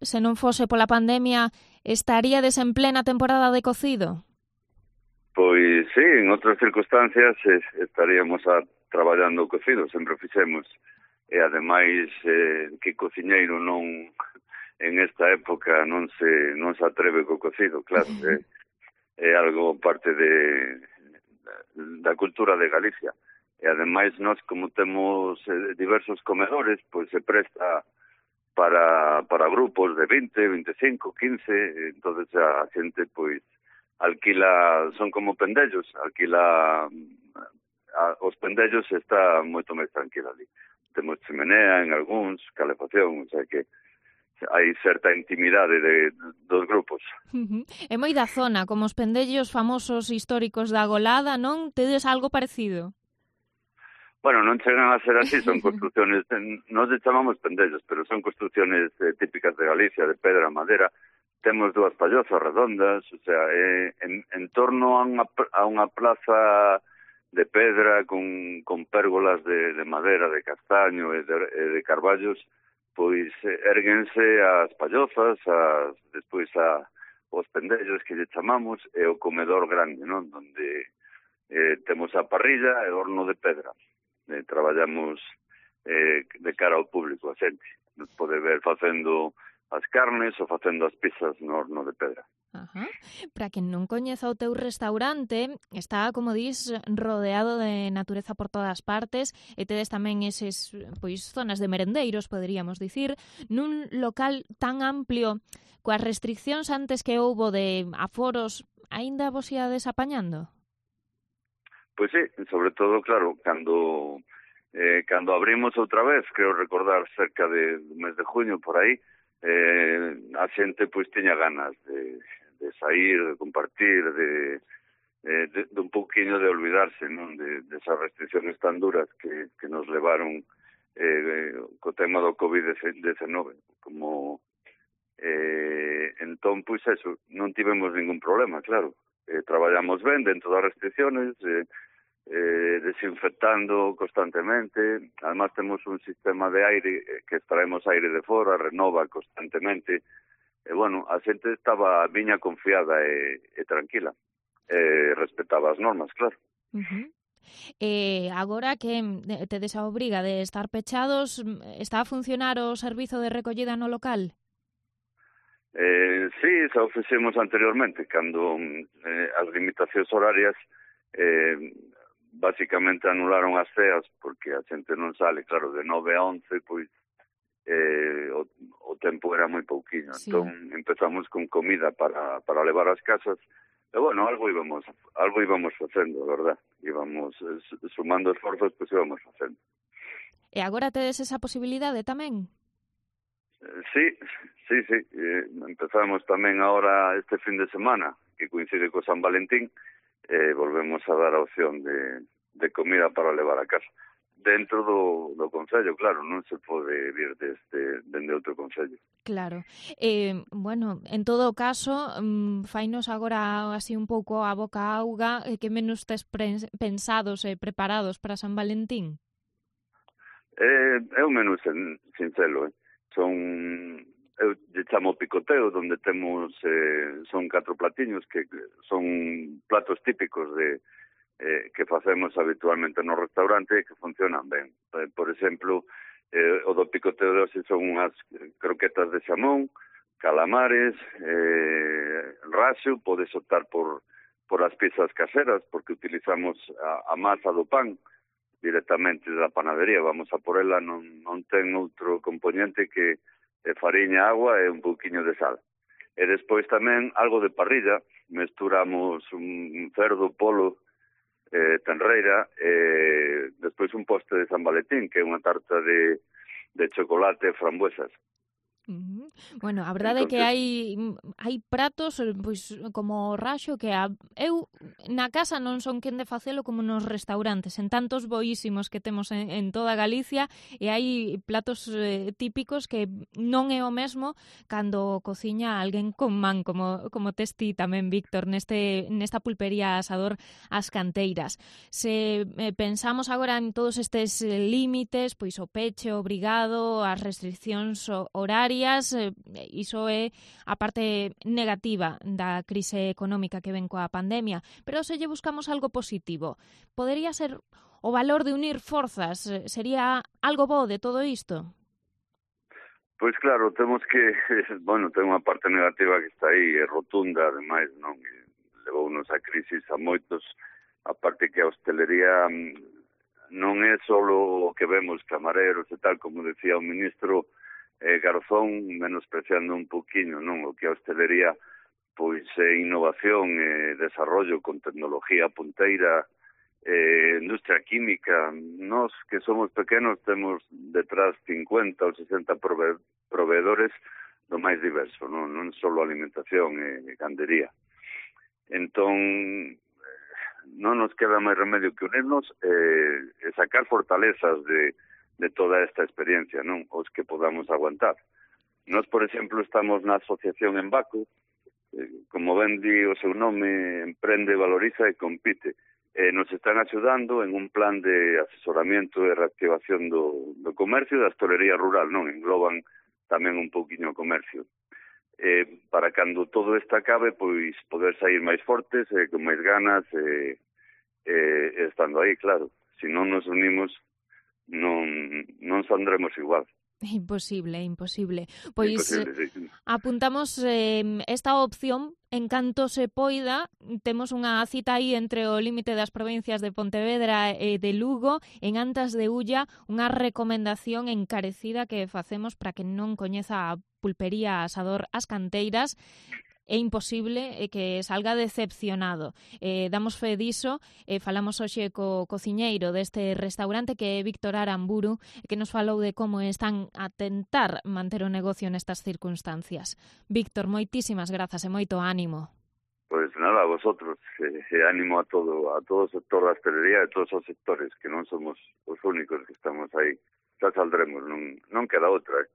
se non fose pola pandemia, estaríades en plena temporada de cocido? Pois sí, en outras circunstancias estaríamos traballando o cocido, sempre o fixemos. E ademais que cociñeiro non en esta época non se atreve co cocido, claro, é algo parte da cultura de Galicia. E ademais nós, como temos diversos comedores, pois se presta para grupos de 20, 25, 15, entonces a xente pois alquila, son como pendellos, alquila os pendellos está moito máis tranquila ali. Temos chimenea en algúns, calefacción, o sea que hai certa intimidade dos grupos. É moi da zona, como os pendellos famosos históricos da Golada, non? Tedes algo parecido? Bueno, non chegan a ser así, son construcciones, nós chamamos pendellos, pero son construcciones típicas de Galicia, de pedra, madera. Temos dúas pallozas redondas, o sea, en torno a unha plaza de pedra con pérgolas de madera, de castaño e de carballos, pois érguense as pallozas, despois os pendellos que lle chamamos, e o comedor grande, non? Donde temos a parrilla e o horno de pedra. Traballamos de cara ao público, a xente. Nos pode ver facendo as carnes ou facendo as pizzas no horno de pedra. Ajá. Para quen non coñeza o teu restaurante, está, como dis, rodeado de natureza por todas partes e tedes tamén eses, pois, zonas de merendeiros, poderíamos dicir, nun local tan amplio, coas restriccións antes que houbo de aforos, aínda vos iades apañando? Pois sí, sobre todo, claro, cando abrimos outra vez, creo recordar cerca do mes de junio, por aí, a xente pois tiña ganas de sair, de compartir, de un pouquiño de olvidarse, non, de esas restricciones tan duras que nos levaron co tema do COVID-19, como entón, pois eso, non tivemos ningún problema, claro. Traballamos ben dentro das restricciones, desinfectando constantemente. Además temos un sistema de aire que extraemos aire de fora, renova constantemente. E, bueno, a xente viña confiada e tranquila. Respetaba as normas, claro. Agora que tedes a obriga de estar pechados, está a funcionar o servizo de recollida no local? Sí, xa o fixemos anteriormente, cando as limitacións horarias basicamente anularon as ceas, porque a xente non sale, claro, de 9 a 11, pois o tempo era moi pouquiño. Sí. Entón empezamos con comida para levar ás casas, e bueno, algo íbamos facendo, verdad? Íbamos sumando esforzos, pois íbamos facendo. E agora tedes esa posibilidade tamén? Sí. Empezamos tamén agora este fin de semana, que coincide co San Valentín, volvemos a dar a opción de comida para levar a casa. Dentro do concello, claro, non se pode vir dende outro concello. Claro. Bueno, en todo caso, fainos agora así un pouco a boca auga, que menús tes pensados e preparados para San Valentín? É un menú sinxelo, eu lle chamo picoteo, donde temos son 4 platiños que son platos típicos que facemos habitualmente no restaurante e que funcionan ben. Por exemplo, o do picoteo de hoxe son unhas croquetas de xamón, calamares, raxo, podes optar por as piezas caseras, porque utilizamos a masa do pan directamente da panadería, vamos a por ela, non ten outro componente que fariña, agua e un pouquiño de sal. E despois tamén algo de parrilla, mesturamos un cerdo, polo, tenreira, e despois un postre de San Valentín, que é unha tarta de chocolate e frambuesas. Bueno, a verdade é que hai pratos pois como o raxo que eu na casa non son quen de facelo como nos restaurantes, en tantos boísimos que temos en toda Galicia, e hai platos típicos que non é o mesmo cando cociña alguén con man, como tes ti tamén, Víctor, nesta pulpería Asador As Canteiras. Se pensamos agora en todos estes límites, pois o peche obrigado, as restriccións horarias, decías, iso é a parte negativa da crise económica que ven coa pandemia, pero se lle buscamos algo positivo, podería ser o valor de unir forzas, sería algo bo de todo isto? Pois claro, temos que, bueno, ten unha parte negativa que está aí, é rotunda, ademais, non? Levounos a crisis a moitos, a parte que a hostelería non é só o que vemos camareros e tal, como decía o ministro Garzón, menospreciando un poquinho, non? O que a hostelería, pois, é innovación, desarrollo con tecnología punteira, industria química. Nós que somos pequenos temos detrás 50 ou 60 proveedores do máis diverso, non só alimentación e gandería. Entón, non nos queda máis remedio que unirnos e sacar fortalezas de toda esta experiencia, non? Os que podamos aguantar. Nós, por exemplo, estamos na asociación Embaco, como ben di o seu nome, emprende, valoriza e compite. Nos están axudando en un plan de asesoramento e reactivación do comercio e da hostelería rural, non? Engloban tamén un pouquiño o comercio. Para cando todo isto acabe, pois poder sair máis fortes, con máis ganas, estando aí, claro. Se non nos unimos, non saldremos igual. Imposible, imposible. Pois Imposible, sí. Apuntamos esta opción en canto se poida. Temos unha cita aí entre o límite das provincias de Pontevedra e de Lugo, en Antas de Ulla, unha recomendación encarecida que facemos para que non coñeza a pulpería Asador As Canteiras. É imposible que salga decepcionado. Damos fe diso, falamos hoxe co cociñeiro deste restaurante que é Víctor Aramburu, que nos falou de como están a tentar manter o negocio nestas circunstancias. Víctor, moitísimas grazas e moito ánimo. Pois nada, a vosotros, ánimo a todo o sector da hostelería e todos os sectores, que non somos os únicos que estamos aí. Xa saldremos, non queda outra.